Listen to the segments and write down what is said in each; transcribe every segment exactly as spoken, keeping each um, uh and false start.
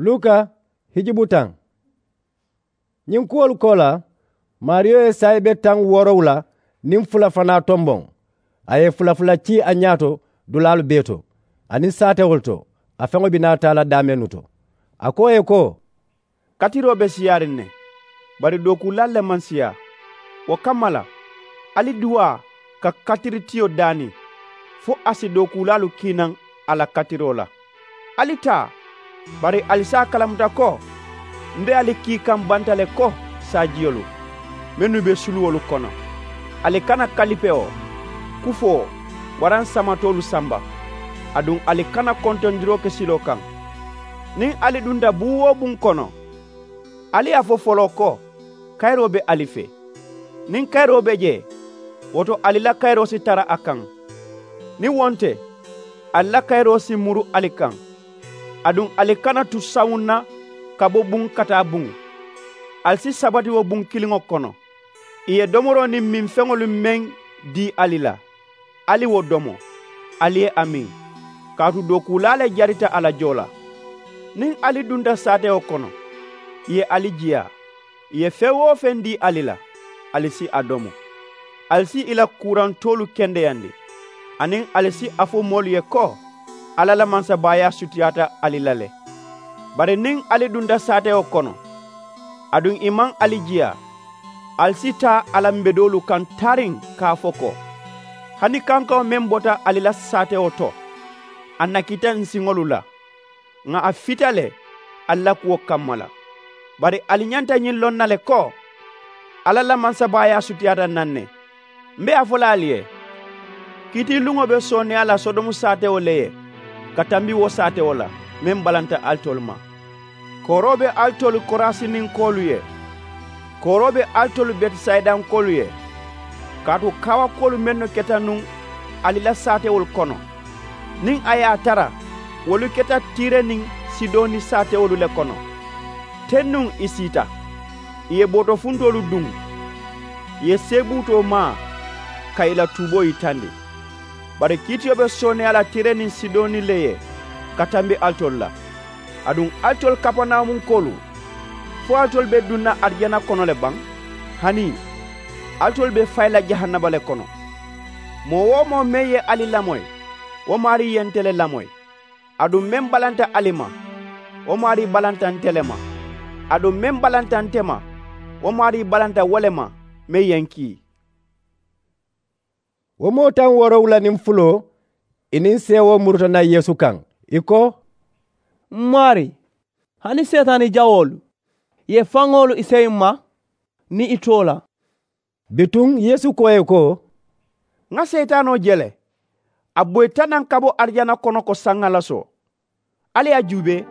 Luka hijubu taŋ. Ñiŋ kuwolu koolaa, maariyo ye saayibe taŋ woorowula niŋ fula fanaa tomboŋ. A ye fula fula cii a ñaa to dulaalu bee to, aniŋ saatewolu to, a feŋo be naa taa la daamennu to. A ko ì ye ko, katiroo be siyaariŋ ne, bari dookuulaalu le maŋ siyaa. Wo kamma la, ali duwaa ka katiritiyo daani, fo a si dookuulaalu kii naŋ a la katiroo la. Ali taa, bari ali si a kalamuta ko m be ali kii kaŋ banta le ko saajiyolu mennu be suluwolu kono. Ali kana kalipewo, kufoo, waraŋ samatoolu samba. Aduŋ ali kana kontondiroo ke siloo kaŋ. Niŋ ali dunta buŋ-wo-buŋ kono, ali ye a fo foloo ko kayiroo be ali fee. Niŋ kayiroo be jee, wo to ali la kayiroo si tara a kaŋ. Niŋ wo nte, ali la kayiroo si muru ali kaŋ. Aduŋ ali kana tu sawuŋ na ka bo buŋ ka taa buŋ. Ali si sabati wo buŋ kiliŋo kono. Ì ye domoroo niŋ miŋ feŋolu meŋ dii ali la, ali wo domo, ali ye a miŋ, kaatu dookuulaa le jarita a la joo la. Niŋ ali dunta saatewo kono, ì ye ali jiyaa. Ì ye feŋ-wo-feŋ dii ali la, ali si a domo. Ali si ì la kuurantoolu kendeyandi, aniŋ ali si a fo moolu ye ko alla la mansabaayaa sutiyaata ali la le. Bari niŋ ali dunta saatewo kono, aduŋ ì maŋ ali jiyaa, ali si taa a la mbedoolu kaŋ taariŋ ka a fo ko, hani kankaŋo meŋ bota ali la saatewo to, a nakita n siŋolu la, ŋà a fita le ali la kuwo kamma la. Bari ali ñanta ñiŋ loŋ na le ko alla la mansabaayaa sutiyaata n na ne. M be a fo la ali ye, kiitiiluŋo be sooneeyaa la sodomu saatewo le ye ka tambi wo saatewo la meŋ balanta alitolu ma. Kooroo be alitolu korasininkoolu ye. Kooroo be alitolu betisayidankoolu ye. Kaatu kaawakuwolu mennu keta nuŋ ali la saatewolu kono, niŋ a ye a tara wolu keta tiire niŋ sidoni saatewolu le kono, teŋ nuŋ ì siita, ì ye bootofuntoolu duŋ, ì ye seebuutoo maa ka ì la tuuboo yitandi. Bari kiitiyo be sooneeyaa la tiire niŋ sidoni le ye ka tambi alitolu la. Aduŋ alitolu kapanawumunkoolu, fo alitolu be duŋ na arijana kono le baŋ? Hanii, alitolu be fayi la jahannama le kono. Moo-wo-moo meŋ ye ali lamoyi, wo maarii ye nte le lamoyi. Aduŋ meŋ balanta ali ma, wo maarii balanta nte le ma. Aduŋ meŋ balanta nte ma, wo maarii balanta wo le ma meŋ ye n kii. Wo moo taŋ woorowula niŋ fuloo, ì niŋ seewoo muruta naŋ yeesu kaŋ, ì ko, m maarii, hani seetaani jawoolu ye faŋolu ì seyi m ma niŋ ì too la? Bituŋ yeesu ko ì ye ko, ŋa seetaanoo je le, a boyita naŋ ka bo arijana kono ko saŋ ŋa lasoo. Ali ye a juubee,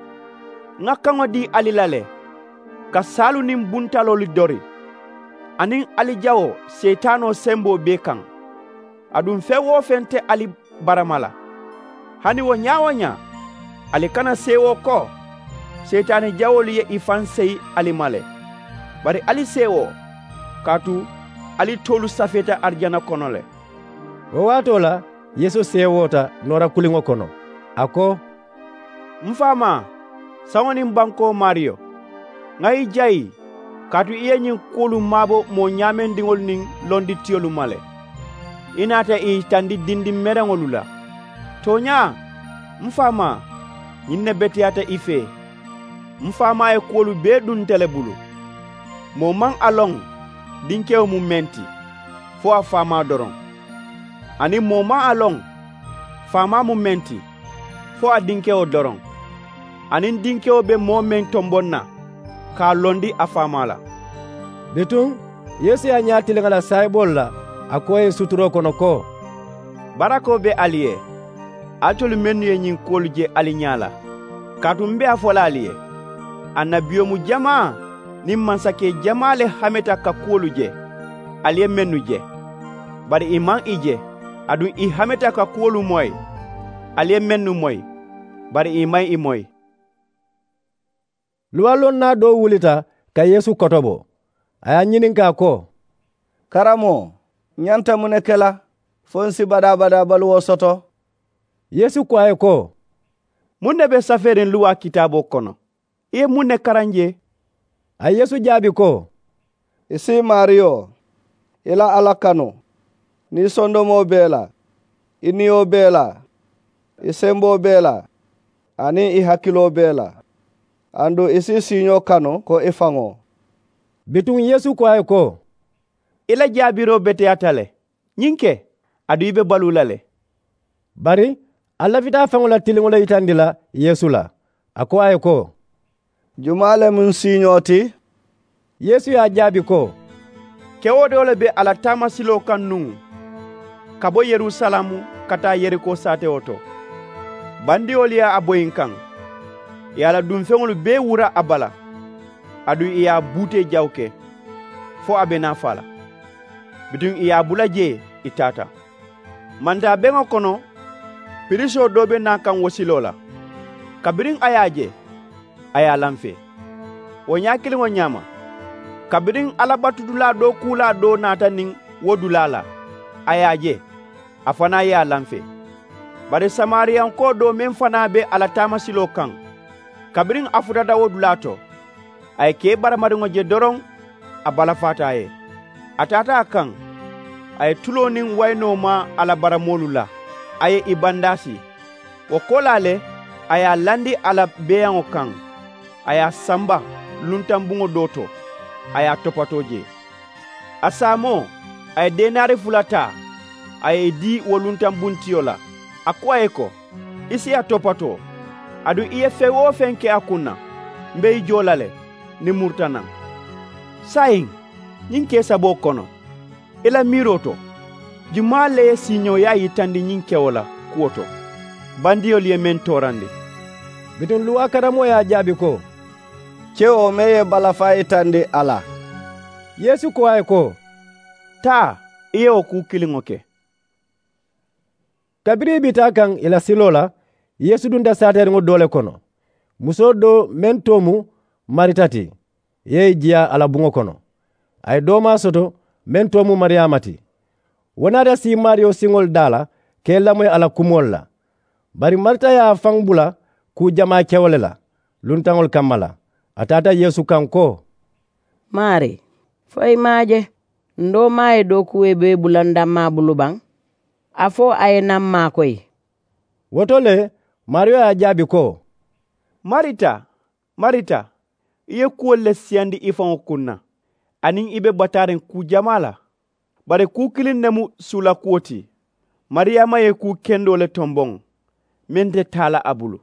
ŋa kaŋo dii ali la le, ka saalu niŋ buntaloolu dori, aniŋ ali jawoo seetaanoo semboo bee kaŋ. Aduŋ feŋ-wo-feŋ te ali barama la. Hani wo ñaa-wo-ñaa, ali kana seewoo ko seetaani jawoolu ye ì faŋ seyi ali ma le. Bari ali seewoo, kaatu ali toolu safeeta arijana kono le. Wo waatoo la yeesu seewoota noora kuliŋo kono, a ko, m faamaa, saŋo niŋ bankoo maariyo, ŋa i jayi, kaatu i ye ñiŋ kuwolu maabo moo ñaamendiŋolu niŋ londitiyolu ma le. I naata i yitandi dindiŋ mereŋolu la. Tooñaa, m faamaa, ñiŋ ne beteyaata i fee. M faamaa ye kuwolu bee duŋ nte le bulu. Moo maŋ a loŋ dinkewo mu meŋ ti, fo a faamaa doroŋ. Aniŋ moo maŋ a loŋ faamaa mu meŋ ti, fo a dinkewo doroŋ. Aniŋ dinkewo be moo meŋ tomboŋ na, ka a londi a faamaa la. Bituŋ yeesu ye a ñaa tiliŋ a la saayiboolu la, a ko ì ye suturoo kono ko, barakoo be ali ye, alitolu mennu ye ñiŋ kuwolu je ali ñaa la. Kaatu m be a fo la ali ye, annabiyomu jamaa niŋ mansakee jamaa le hameta ka kuwolu je, ali ye mennu je. Bari ì maŋ ì je. Aduŋ ì hameta ka kuwolu moyi, ali ye mennu moyi, bari ì maŋ ì moyi. Luwalonnaa doo wulita ka yeesu kotobo. A ye a ñininkaa ko, karamoo, ǹ ñanta muŋ ne ke la fo ǹ si badaa-badaa baluwo soto? Yeesu ko a ye ko, muŋ ne be safeeriŋ luwaa kitaaboo kono? I ye muŋ ne karaŋ jee? A ye yeesu jaabi ko, i si i maariyo, i la alla kanu, niŋ i sondomoo bee la, i niyo bee la, i semboo bee la, aniŋ i hakiloo bee la, aduŋ i si i siiñoo kanu ko i faŋo. Bituŋ yeesu ko a ye ko, i la jaabiroo beteyaata le. Ñiŋ ke, aduŋ i be baluu la le. Bari a lafita a faŋo la tiliŋo le yitandi la yeesu la. A ko a ye ko, jumaa le mu n siiñoo ti? Yeesu ye a jaabi ko, kewo doo le be a la taamasiloo kaŋ nuŋ, ka bo yerusalamu ka taa yeriko saatewo to. Bandiyolu ye a boyi n kaŋ, ì ye a la dunfeŋolu bee wura a bala, aduŋ ì ye a buutee jawu ke, fo a be naa faa la. Bituŋ ì ye a bula jee, ì taata. Mantaa beŋo kono, pirisoo doo be naa kaŋ wo siloo la. Kabiriŋ a ye a je, a ye a lanfee. Wo ñaakiliŋo ñaama, kabiriŋ alla batudulaa dookuulaa doo naata niŋ wo dulaa la, a ye a je, a fanaa ye a lanfee. Bari samariyankoo doo meŋ fanaa be a la taamasiloo kaŋ, kabiriŋ a futata wo dulaa to, a ye kee baramariŋo je doroŋ, a balafaata a ye. A taata a kaŋ, a ye tuloo niŋ wayinoo maa a la baramoolu la, a ye ì bandaasi. Wo koolaa le, a ye a landi a la beeyaŋo kaŋ, a ye a samba luntaŋ buŋo doo to, a ye a topatoo jee. A saamoo, a ye denaari fula taa, a ye ì dii wo luntaŋ buntiyo la. A ko a ye ko, i si a topatoo, aduŋ i ye feŋ-wo-feŋ ke a kuŋ na, m be i joo la le, nimuruta naŋ. Saayiŋ, ñiŋ kee saboo kono, i la miiroo to, jumaa le ye siiñooyaa yitandi ñiŋ kewo la kuwo to? Bandiyolu ye meŋ toorandi. Bituŋ luwaa karamoo ye a jaabi ko, kewo meŋ ye balafaa yitandi a la. Yeesu ko a ye ko, taa, i ye wo kuu kiliŋo ke. Kabiriŋ i be taa kaŋ ì la siloo la, yeesu dunta saateeriŋo doo le kono. Musoo doo meŋ too mu marita ti, i ye i jiyaa a la buŋo kono. A ye doomaa soto meŋ too mu mariyaama ti. Wo naata sii maariyo siŋolu daa la ka i lamoyi a la kumoolu la. Bari marita ye a faŋ bula kuu jamaa kewo le la luntaŋolu kamma la. A taata yeesu kaŋ ko, maarii, fo i maŋ a je, n doomaa ye dookuwee bee bula n dammaa bulu baŋ? A fo a ye naa m maakoyi. Wo to le, maariyo ye a jaabi ko, marita, marita, i ye kuwolu le siyandi i faŋo kuŋ na, aniŋ i be bataariŋ kuu jamaa la. Bari kuu kiliŋ ne mu suulakuwo ti. Mariyaama ye kuu kendoo le tomboŋ, meŋ te taa la a bulu.